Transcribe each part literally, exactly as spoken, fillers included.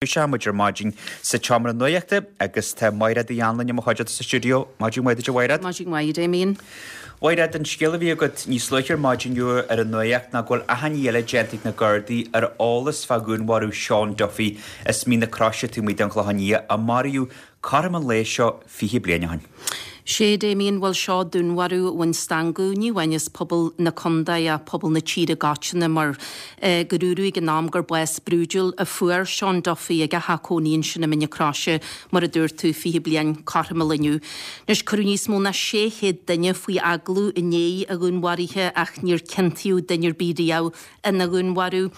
Seo muid ar maidin sa tseomra nuachta agus tá Máiréad Uí Anluain i mo chuideachta sa stiúideo. Maidin mhaith duit a Mháiréad. Maidin mhaith Damien. Mháiréad, an scéal a bhí agat níos luaithe ar maidin inniu ar an nuacht ná go bhfuil achainí eile déanta ag na Gardaí ar eolas fá dhúnmharú Seán Duffy as Mín na Croise taobh amuigh den Chlochán Liath a maraíodh cothrom an lae seo fiche bliain ó shin. Sé Damien bhuel seo dúnmharú a bhain stangadh ní amháin as pobal na contae ach pobal na tíre i gcoitinne mar gur dúradh ag an am gur bás brúidiúil a fuair Seán Duffy ag a theach cónaí ansin i Mín na Croise mar a dúirt tú fiche bliain cothrom an lae inniu. Anois cuireadh níos mó ná sé chéad duine faoi agallamh i ndiaidh a dhúnmharaithe ach níor ciontaíodh duine ar bith riamh ina dhúnmharú.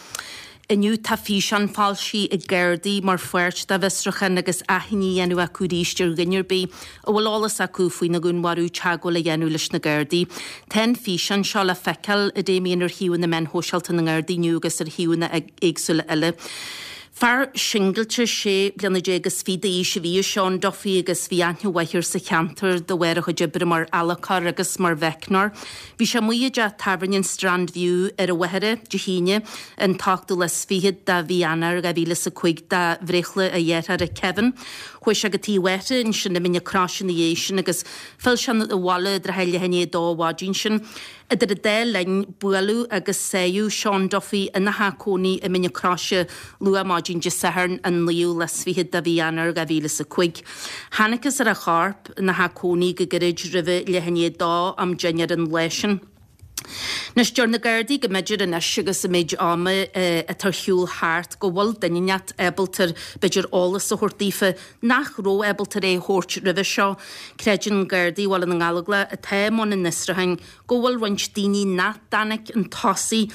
Inniu tá físeán foilsithe ag Gardaí mar pháirt dá bhfiosrúchán agus achainí á dhéanamh acu arís ar dhuine ar bith a bhfuil eolas acu faoina dhúnmharú teagmháil a dhéanamh leis na Gardaí. Tá an físeán seo le feiceáil a Damien ar shuíomh na meán shóisialta na nGardaí inniu agus ar shuíomhanna éagsúla eile. Fear singilte sé bliana déag is fiche d'aois a bhí i Seán Duffy agus bhí aithne mhaith air sa cheantar de bharr a chuid oibre mar adhlacóir agus mar mheicneoir. Bhí sé amuigh i dteach tábhairne an Strand View ar an Mhachaire Dé hAoine an t-ochtú lá is fiche de mhí Eanáir dhá mhíle is a cúig do bhreithlá a dhearthára Kevin. Chuaigh sé go tigh a mháthara ansin i Mín na Croise ina dhiaidh sin agus phill sé abhaile i dtrátha leath i ndiaidh a dó an mhaidin sin. Idir an dá linn, buaileadh agus sáigheadh Seán Duffy ina theach cónaí i Mín na Croise luath maidin Dé Sathairn an naoú lá is fiche de mhí Eanáir dhá mhíle is a cúig. Thángthas ar a chorp ina theach cónaí go gairid roimhe leath i ndiaidh a dó am dinnéir an lá sin. Anois deir na Gardaí go mb'fhéidir anois agus an méid ama atá ar shiúl thart go bhfuil duine inteacht ábalta b'fhéidir eolas a thabhairt daofa nach raibh ábalta é a thabhairt roimhe seo. Creideann Gardaí Bhaile na nGallóglach atá i mbun an fhiosrúcháin go bhfuil roinnt daoine nach dtáinig chun tosaigh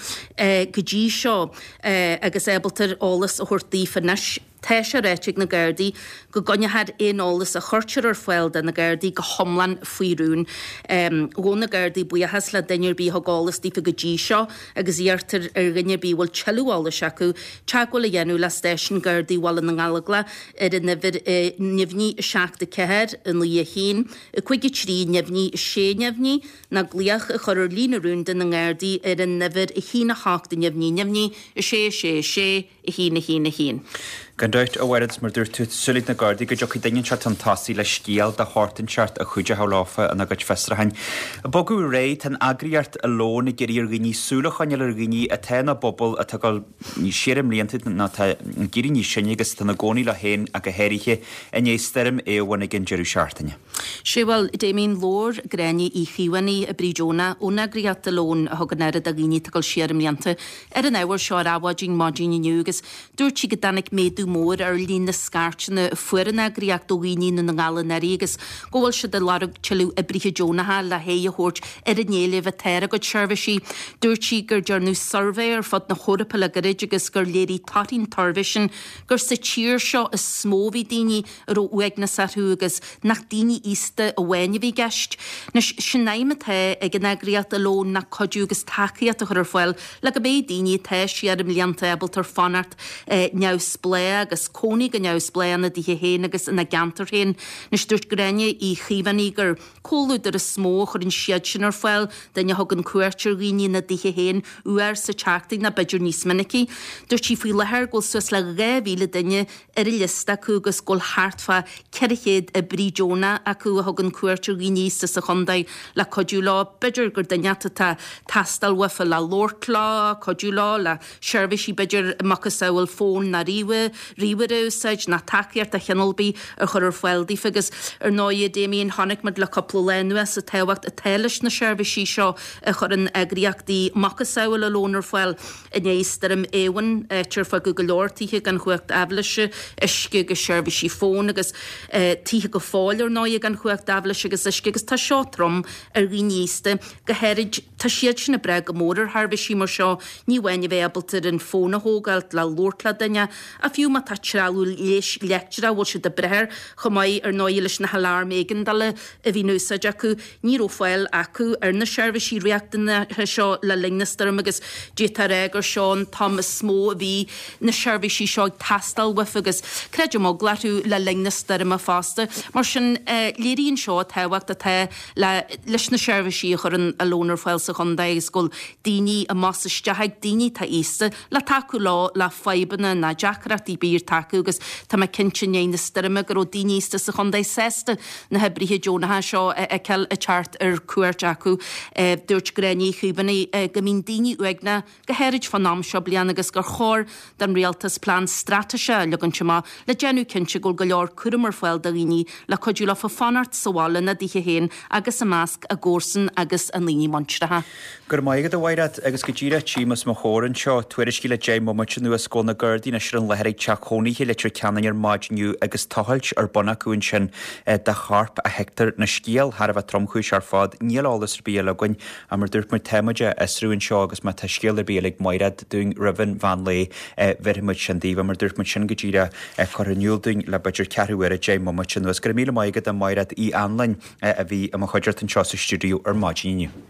go dtí seo agus ábalta eolas a thabhairt daofa anois. Tá sé ráite ag na Gardaí go gcoinneofar aon eolas a chuirtear ar fáil do na Gardaí go hiomlán faoi rún. Ghabh na Gardaí buíochas le duine ar bith a thug eolas daofa go dtí seo agus iarrtar ar dhuine ar bith a bhfuil tuilleadh eolais acu teagmháil a dhéanamh le stáisiún Gardaí Bhaile na nGallóglach ar an uimhir neamhní a seacht a ceathair, a naoi a haon, a cúig a trí, neamhní a sé neamhní, nó glaoch a chur ar líne rúnda na nGardaí ar an uimhir a haon a hocht neamhní neamhní a sé a sé a sé a haon a haon a haon. Gan dabht, a Mhairéad, mar dúirt tú, súil ag na Gardaí go dtiocfaidh duine inteacht chun tosaigh le scéal de shórt inteacht a chuideochadh leofa ina gcuid fiosrúcháin. Bogadh ar aghaidh, tá an eagraíocht Alone ag iarraidh ar dhaoine súil a choinneáil ar dhaoine atá ina bpobal atá ag dul siar i mblianta nó atá ag éirí níos sine agus atá ina gcónaí leo féin ach go háirithe i ndiaidh stoirm Éowyn ag an deireadh seachtaine. Sé bhuel, Damien, labhair Gráinne Uí Chaomhánaigh, oibrí deonach ón eagraíocht Alone a thugann aire do dhaoine atá ag dul siar i mblianta ar an ábhar seo ar Adhmhaidin maidin inniu agus dúirt sí go dtáinig méadú mór ar líon na scairteanna a fuair an eagraíocht ó dhaoine i nDún na nGall anuraidh agus go bhfuil siad ag lorg tuilleadh oibrithe deonacha le haghaidh a thabhairt ar an éileamh atá ar a gcuid seirbhísí. Dúirt sí gur dearnadh suirbhé ar fud na hEorpa le gairid agus gur léirigh torthaí an tsuirbhé sin gur sa tír seo is mó a bhí daoine a raibh uaigneas orthu agus nach daoine aosta amháin a bhí i gceist. Anois, sin aidhm atá ag an eagraíocht Alone ná cuidiú agus tacaíocht a chur ar fáil le go mbeidh daoine atá siar i mblianta ábalta fanacht neamhspleách agus cónaí go neamhspleách ina dtithe féin agus ina gceantar féin. Anois, dúirt Gráinne Uí Chaomhánaigh gur comhluadar is mó a chuireann siad sin ar fáil, duine a thugann cuairt ar dhaoine ina dtithe féin uair sa tseachtain nó b'fhéidir níos minicí. Dúirt sí faoi láthair go bhfuil suas le dhá mhíle duine ar an liosta acu agus go bhfuil thart fá ceithre chéad oibrí deonach acu a thugann cuairt ar dhaoine aosta sa chontae le cuidiú leo. B'fhéidir gur duine atá ag teastáil uafa le labhairt leo, cuidiú leo le seirbhísí b'fhéidir macasamhail fón nó ríomhaire a úsáid nó tacaíocht de chineál ar bith a chur ar fáil daofa agus ar ndóigh Damien chonaic muid le cúpla lá anuas an tábhacht atá leis na seirbhísí seo a chuireann eagraíochtaí macasamhail Alone ar fáil i ndiaidh stoirm Éowyn, áit ar fágadh go leor tithe gan chumhacht aibhléise, uisce agus seirbhísí fóin agus tithe go fóill ar ndóigh gan chumhacht aibhléise agus uisce agus tá seo trom ar dhaoine aosta, go háirid tá siad sin ag brath go mór ar sheirbhísí mar seo, ní amháin a bheith ábalta ar an fón a thógáil le labhairt le duine ach fiú má tá trealamh leighis leictreach a bhfuil siad ag brath air chomh maith ar ndóigh leis na haláirm éigeandála a bhí in úsáid acu. Ní raibh fáil acu ar na seirbhísí riachtanacha seo le linn na stoirme agus d'fhéadfá a rá gur seo an t-am is mó a bhí na seirbhísí seo ag teastáil uafa agus creidim eagla orthu le linn na stoirme fosta. Mar sin, léiríonn seo an tábhacht atá le leis na seirbhísí a chuireann Alone ar fáil sa sa chontae agus go bhfuil daoine amach is isteach ag daoine atá aosta le tacú leo le fadhbanna ná deacrachtaí ar bith atá acu agus tá mé cinnte i ndiaidh na stoirme go raibh daoine aosta sa chontae sásta na hoibrithe deonacha seo a fheiceáil ag teacht ar cuairt acu. Dúirt Gráinne Ní Chaomhánaigh go mbíonn daoine uaigneach go háirid fán am seo bliana agus gur chóir don rialtas plean straitéise a leagaint amach le déanamh cinnte go bhfuil go leor cúram ar fáil do dhaoine le cuidiú leofa fanacht sa bhaile ina dtithe féin agus i measc a gcomharsan agus a ndaoine muinteartha. Go raibh maith agat a Mhairéad agus go díreach tchím os mo chomhair anseo tuairiscí le deich mbomaite anuas go bhfuil na Gardaí anois ar an láthair ag teach cónaithe i Leitir Ceanainn ar maidin inniu agus tochailt ar bun acu ansin de chorp a thuigtear na scéal thar a bheith tromchúiseach ar fad. Níl eolas ar bith eile againn ach mar dúirt muid tá muid á fhiosrú anseo agus má tá scéal ar bith eile ag Mairéad dúinn roimh an mheán lae bhéarfaidh muid sin daoibh mar dúirt muid sin go díreach curtha in iúl dúinn le b'fhéidir ceathrú uaire deich mbomaite anuas. Go raibh míle maith agat a Mhairéad Uí Anluain a bhí i mo chuideachta anseo sa stiúideo ar maidin inniu.